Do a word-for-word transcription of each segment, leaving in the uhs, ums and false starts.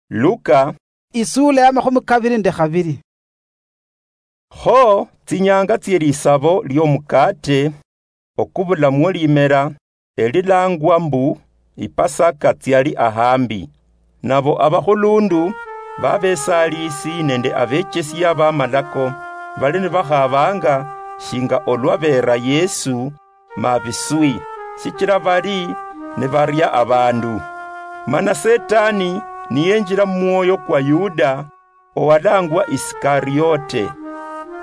Luka, isula ya makhumi kabiri nende khabiri. Kho tsinyanga tsie lisabo liomukaate okubulamwo limera, elilangwa mbu Ipasaka, tsiali ahambi. Nabo abakhulundu babesaliisi nende abechesia bamalako bali nibakhabanga shinga olwa beera Yesu mabiswi, shichira bali nibaria abandu. Mana Setani niyenjira mumwoyo kwa Yuda, owalangwa Isikariote,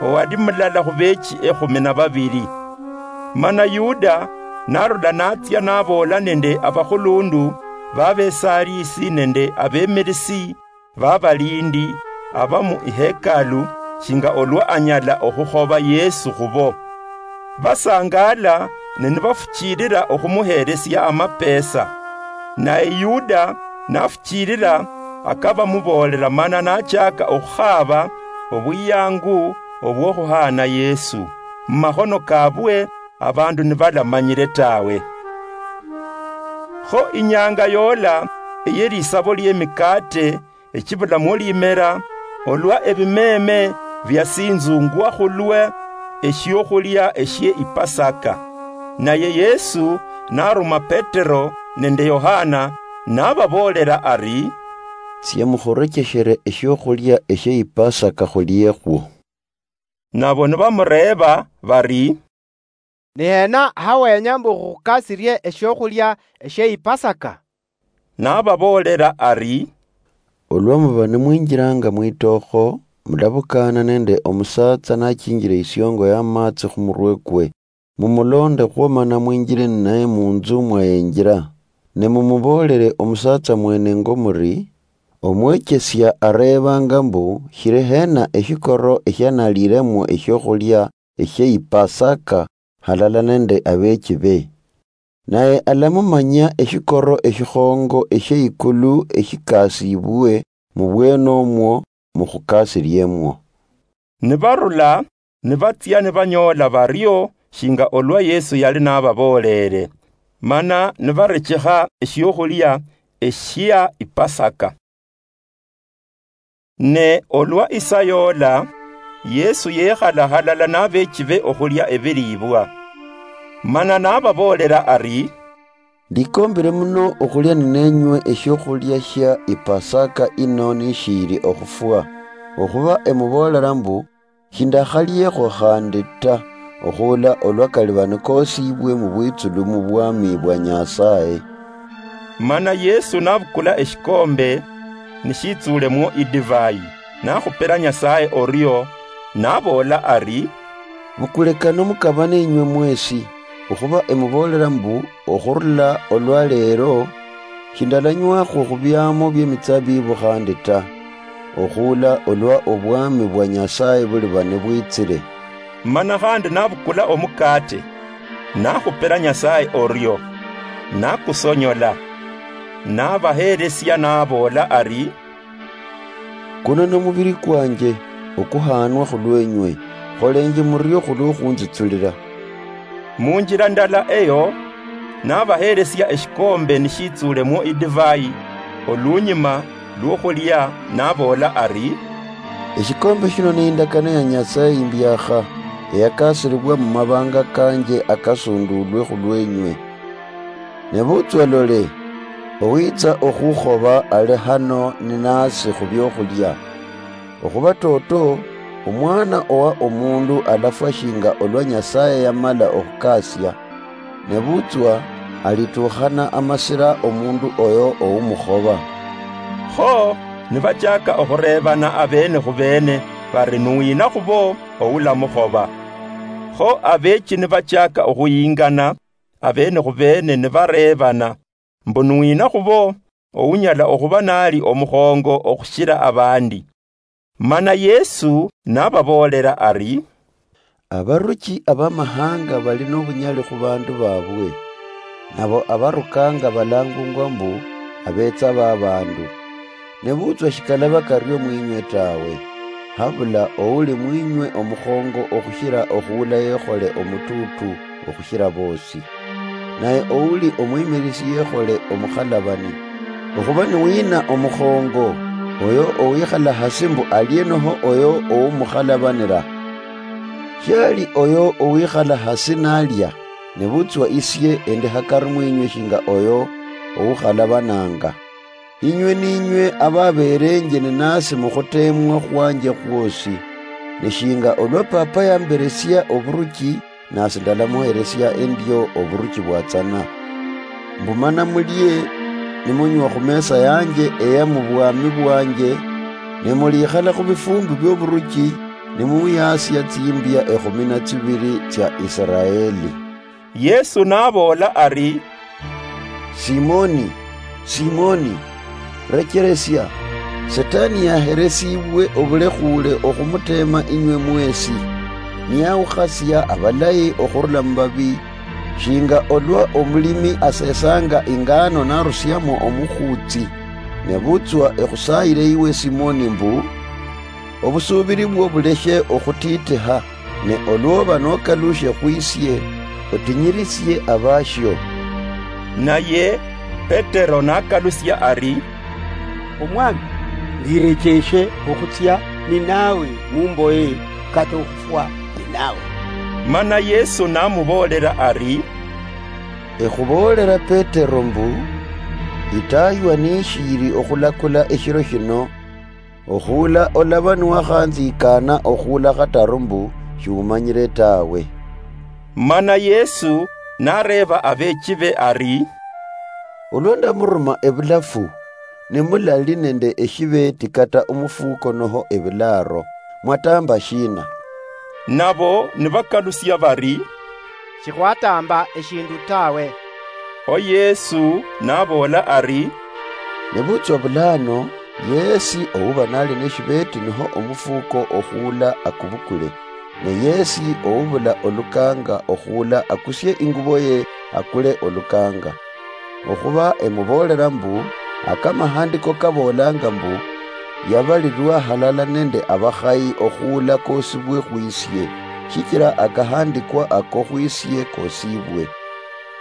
owali mulala khubechi ekhumi na babili. Mana Yuda narula natsia naboola nende abakhulundu babesaliisi nende abemirisi babalindi aba mu ihekalu, shinga olwa anyala okhukhoba Yesu khubo. Basangala ne nibafuchilila okhumuhelesia amapesa. Naye Yuda nafuchilila, akabamuboolela mana nachaka okhukhaba obwiyangu obwokhuhaana Yesu mumakhono kabwe, abandu nibalamanyile tawe. Kho inyanga yola eye lisabo liemikaate echibulamwo limera, olwa ebimeme biasinzungwa khulwa eshiokhulia eshie Ipasaka. Naye Yesu naruma Petero nende Yohana, nababoolela ari, "Tsia mukhurekeshere eshiokhulia eshie Ipasaka khuliekho." Nabo nibamureeba bari, "Ni hena hawenya mbu khukhukasirie eshiokhulia eshie Ipasaka?" Nababoolela ari, "Olwa muba nimwinjilanga mwitookho, mulabukaana nende omusatsa nachinjile isiongo ya matsi khumurwe kwe. Mumuloonde khwo mana mwinjile ninaye munzu mwayenjila. Ne mumuboolele omusatsa mwenengo muri, 'Omwechesia areebanga mbu, shili hena eshikoro eshianaliilemwo eshiokhulia eshie Ipasaka halala nende abeechibe?' Naye alamumanyia eshikoro eshikhongo eshie ikulu eshikasiibwe mubwene omwo mukhukasiliemwo." Nibarula, nibatsia nibanyoola bario shinga olwa Yesu yali nababooleele, mana nibarechekha eshiokhulia eshia Ipasaka. Ne olwa isaa yoola, Yesu yekhala halala nabeechibe okhulia ebiliibwa. Mana nababoolela ari, "Ndikoombile muno okhulia nineenywe eshiokhulia shia Ipasaka ino nishiili okhufwa, okhuba emuboolela mbu, shindakhaliekho khandi ta, okhuula olwa kaliba nikoosiibwe mubwitsulu mubwami bwa Nyasaye." Mana Yesu nabukula eshikombe, nishitsuulemwo idivai, nakhupila Nyasaye orio, naboola ari, "Bukule kano mukabane inywe mwesi, okhuba emuboolela mbu, okhurula olwa leero, shindalanywakho khubiamo biemitsabibu khandi ta, okhuula olwa obwami bwa Nyasaye buliba nibwitsile." Mana khandi nabukula omukate, nakhupila Nyasaye orio, nakusonyola, nabahelesia naboola ari, "Kuno nomubili kwanje, okuhaanwa khulwenywe, kholenje murio khulwokhunzitsulila." Munjila ndala eyo, nabahelesia eshikombe nishitsuulemwo idivai, olunyuma lwokhulia, naboola ari, "Eshikombe shino ni indakano ya Nyasaye imbiakha, eyakasilibwa mumabanga kanje akasunduulwe khulwenywe. Nebutswa lole, owitsa okhukhoba ali hano ninasi khubiokhulia. Okhuba toto, Omwana owa Omundu alafwa shinga olwa Nyasaye yamala okhukasia, nebutswa alitukhana amasira omundu oyo oumukhoba." Kho nibachaka okhureebana abeene khubeene bari, "Nuwina khubo oulamukhoba?" Kho abeechi nibachaka okhuyingana abeene khubeene nibareebana mbu, "Nuwina khubo ounyala okhuba nali omukhongo okhushila abandi?" Mana Yesu nababoolela ari, "Abaruchi abamahanga bali nobunyali khubandu babwe, nabo abarukanga balangungwa mbu, abetsa babandu. Nebutswa shikalaba kario mwinywe tawe, habula ouli mwinywe omukhongo okhushila okhuula yekhole omutuutu okhushila boosi. Naye ouli omwimirisi yekhole omukhalabani. Okhuba niwina omukhongo, oyo owikhala hasi mbu alie noho oyo owumukhalabanira. Shiali oyo owikhala hasi nalia, nebutswa isie endi hakari mwinywe shinga oyo owukhalabananga. Inywe ninywe ababeerenje ninasi mukhuteemwa khwanje khwosi, ne shinga olwa Papa yamberesia oburuchi, nasi ndalamuheresia endio oburuchi bwatsana. Mbu mana mulie nimunywa khumesa yanje eya mubwami bwanje, ne mulikhala khubifumbi bioburuchi, nimuyasia tsimbia ekhumi na tsibiri tsia Israeli. Yesu naboola ari, "Simoni, Simoni, recheresia, Setani yaheresibwe obulekhuule okhumuteema inywe mwesi, niyawukhasia abalayi okhurula mubabi, shinga olwa omulimi asesanga ingano narusiamo omukhutsi. Nebutswa ekhusaayire iwe Simoni mbu, obusuubiri bwo buleshe okhutiitikha, ne olwoba nokalushe khwisie, otinyirisie abashio." Naye Petero nakalusia ari, "Omwami, ndirecheeshe okhutsia ninawe mumboye kata okhufwa ninawe." Mana Yesu namuboolera ari, "Ekhuboolera Petero mbu, itaywa nishiiri okhulakula eshiro shino, okhuula olaba niwakhanzikana okhuula khataru mbu shiumanyire tawe." Mana Yesu nareeba abeechi be ari, "Olwa ndamuruma ebulafu, ne mulali nende eshibeeti kata omufuko noho ebilaaro, mwatamba shiina?" Nabo nibakalusia bari, "Shikhwatamba eshindu tawe." Kho Yesu naboola ari, "Nebutswa bulano, yesi ouba nali neshibeeti noho omufuko okhuula akubukule, ne yesi oubula olukanga okhuula akusie ingubo ye akule olukanga. Okhuba emuboolera mbu, akamahandiko kaboolanga mbu, 'Yabalirwa halala nende abakhayi okhuula koosibwe khwisie, shichira akahandikwa ako khwisie koosibwe.'"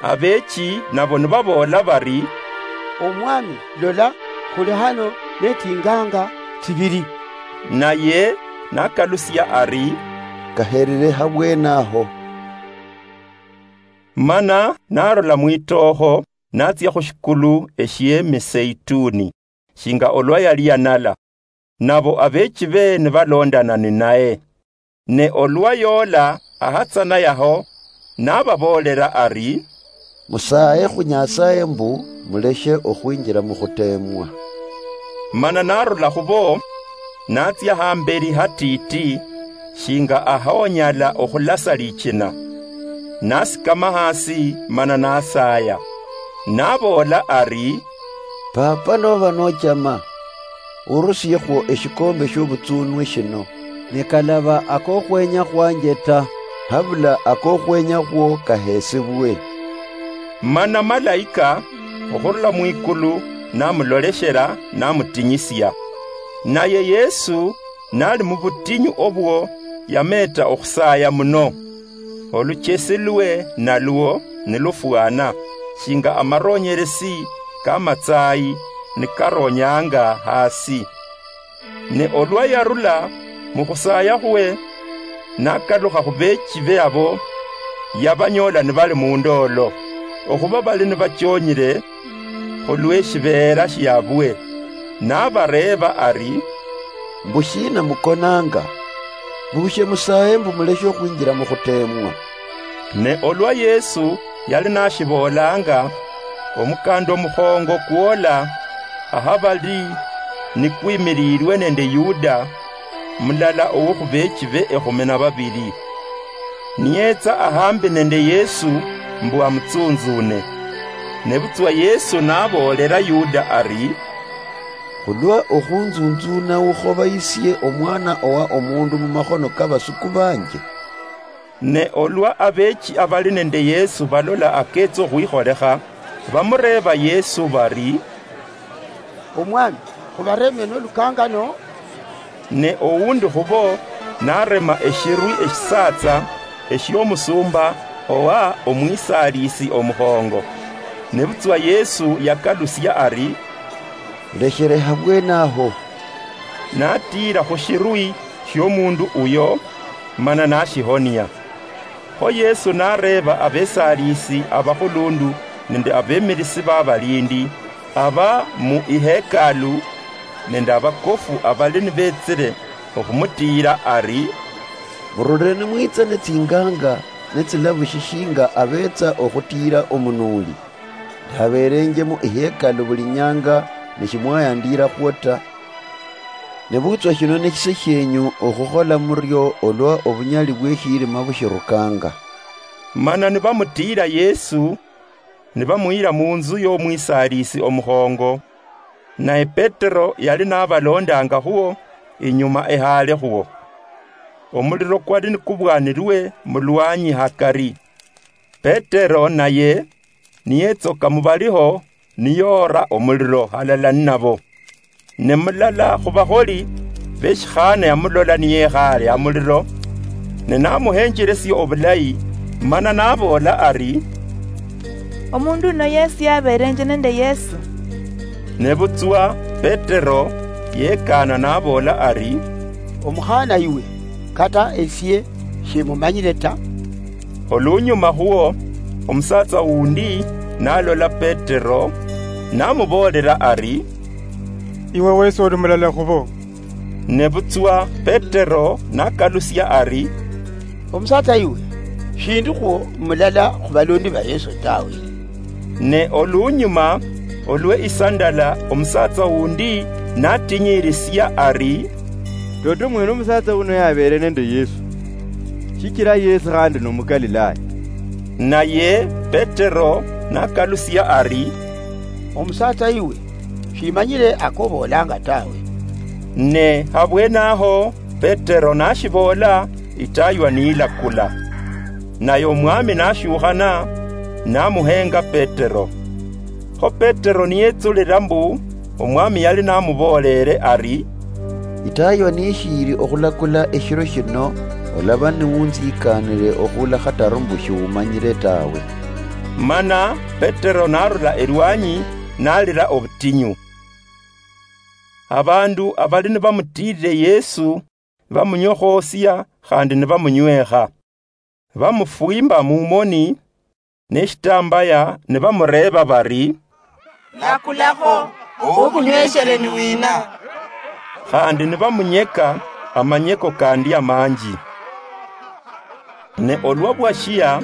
Abeechi nabo nibaboola bari, "Omwami, lola, khuli hano netinganga tsibiri." Naye nakalusia ari, "Kaherire habwenaho." Mana narula mwitookho, natsia khushikulu eshiemiseituni, shinga olwa yali yanala. Nabo abeechi be nibalondana ninaye. Ne olwa yoola ahatsana yaho, nababoolera ari, "Musaaye khu Nyasaye mbu muleshe okhwinjira mukhuteemwa." Mana narula khubo, natsia hamberi hatiiti, shinga ahonyala okhulasa lichina. Nasikama hasi mana nasaaya. Naboola ari, "Papa, noba nochama, urusiekho eshikombe shiobutsunwe shino, ne kalaba akokhwenya khwanje ta, habula akokhwenya khwo kahesebwe." Mana malaika okhurula mwikulu namuloleshera, namutinyisia. Naye Yesu nali mubutinyu obwo, yameeta okhusaya muno. Oluchesi lwe nalwo nilufwana shinga amaronyeresi kamatsayi nikaronyanga hasi. Ne olwa yarula mukhusaya khwe, nakalukha khubeechi be abo, yabanyola nibali mundoolo, okhuba bali nibachonyire khulweshibeera shiabwe, nabareeba ari, "Mbushina mukonanga? Bushe musaye mbu muleshe okhwinjira mukhuteemwa?" Ne olwa Yesu yali nashiboolanga, omukanda omukhongo kwola ahabali nikwimiliilwe nende Yuda, mulala owokhubeechi be ekhumi na babili. Niyetsa ahambi nende Yesu mbu amutsunzune. Nebutswa Yesu naboolera Yuda ari, "Khulwa okhunzunzuna ukhobayisie omwana owa omundu mumakhono kabasuku banje?" Ne olwa abeechi abali nende Yesu balola aketsa okhwikholekha, bamureeba Yesu bari, "Omwami, khubareme nolukangano?" Ne owundi khubo narema eshirwi eshisaatsa eshiomusumba owa omwisalisi omukhongo. Nebutswa Yesu yakalusia ari, "Lekhere habwenaho, natiira khu shirwi shiomundu uyo, mana nashihonia. Kho Yesu nareeba abesaaliisi abakhulundu nende abemirisi babalindi aba mu ihekalu nende abakofu abali nibetsile okhumutiira ari, "Murulire nimwitsa ne tsinganga ne tsilavu shishinga abetsa okhutiira omunuuli. Ndabeerenje mu ihekalu buli nyanga, ne shimwayandiirakhwo ta. Nebutswa shino neshise shienyu okhukhola murio olwa obunyali bwe shirima bushirukanga." Mana nibamutiira Yesu, nibamuyira munzu yomwisaaliisi omukhongo, naye Petero yali nabalondanga khuo inyuma ehaale khuo. Omuliro kwali nikubwanirwe mulwanyi hakari. Petero naye niyetsoka mubaliho, niyoora omuliro halala ninabo. Ne mulala khubakholi beshikhana yamulola niyekhaale hamuliro, ne namuhenjelesia obulayi, mana naboola ari, "Omundu uno yesi yabeerenje nende Yesu." Nebutswa Petero yekaana naboola ari, "Omukhana iwe, kata esie shimumanyire ta." Olunyuma khuo, omusatsa wundi nalola Petero, namuboolera ari, "Iwe wesi oli mulala khubo." Nebutswa Petero nakalusia ari, "Omusatsa iwe, shindikhwo mulala khubalondi ba Yesu tawe." Ne olunyuma olwe isa ndala omusatsa wundi natinyirisia ari, "Toto mwene omusatsa uno yabeere nende Yesu, shichira yesi khandi nomugalilaya." Naye Petero nakalusia ari, "Omusatsa iwe, shimanyire akoboolanga tawe." Ne habwenaho Petero nashiboola, itaywa niyilakula. Naye Omwami nashukhana, namuhenga Petero. Kho Petero niyetsulira mbu Omwami yali namuboolere ari, "Itaywa nishiiri okhulakula eshiro shino, olaba niwunzikanire okhula khataru mbu shiwumanyire tawe." Mana Petero narula elwanyi, nalira obutinyu. Abandu abali nibamutiirire Yesu bamunyokhoosia khandi nibamunywekha. Bamufwimba mumoni neshitambaya nibamureeba bari, "Lakulakho, okhunyweshere ni wina?" Khandi nibamunyeka amanyeko kandi amanji. Ne olwa bwashia,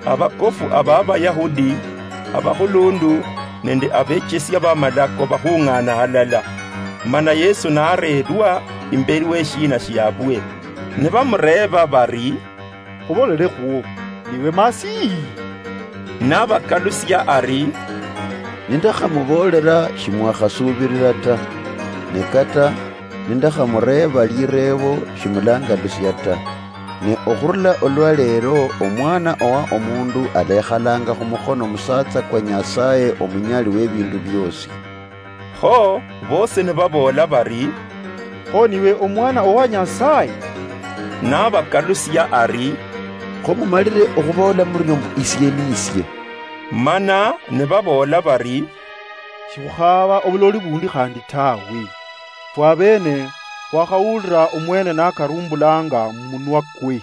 abakofu aba Abayahudi, abakhulundu nende abechesia bamalako bakhung'ana halala. Mana Yesu nareerwa imberi weshiina shiabwe. Nibamureeba bari, "Khubolere khuo, niwe Masihi?" Nabakalusia ari, "Nindakhamubolera shimwakhasubirira ta, ne kata nindakhamureeba lireebo shimulangalusia ta. Ne okhurula olwa leero, Omwana owa Omundu alekhalanga khumukhono musatsa kwa Nyasaye Omunyali webindu biosi." Kho bosi nibaboola bari, "Kho niwe Omwana owa Nyasaye?" Nabakalusia ari, "Kho mumalire okhuboola murio mbu isie nisie." Mana nibaboola bari, "Shikhukhaaba obuloli bundi khandi tawe. Fwe abeene khwakhawulira omwene nakarumbulanga mumunwa kwe."